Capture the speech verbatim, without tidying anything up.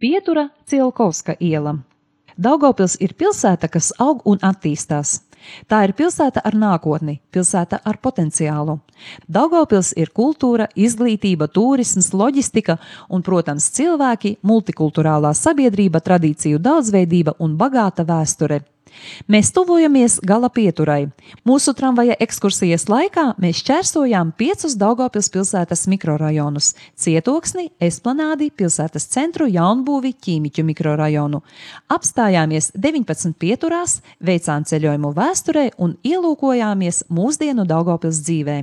Pietura Cielkovska iela. Daugavpils ir pilsēta, kas aug un attīstās. Tā ir pilsēta ar nākotni, pilsēta ar potenciālu. Daugavpils ir kultūra, izglītība, turisms, loģistika un, protams, cilvēki, multikulturālā sabiedrība, tradīciju daudzveidība un bagāta vēsture. Mēs tuvojamies gala pieturai. Mūsu tramvaja ekskursijas laikā mēs šķērsojām piecus Daugavpils pilsētas mikrorajonus – Cietoksni, Esplanādi, pilsētas centru, Jaunbūvi, Ķīmiķu mikrorajonu. Apstājāmies deviņpadsmit pieturās, veicām ceļojumu vēsturē un ielūkojāmies mūsdienu Daugavpils dzīvē.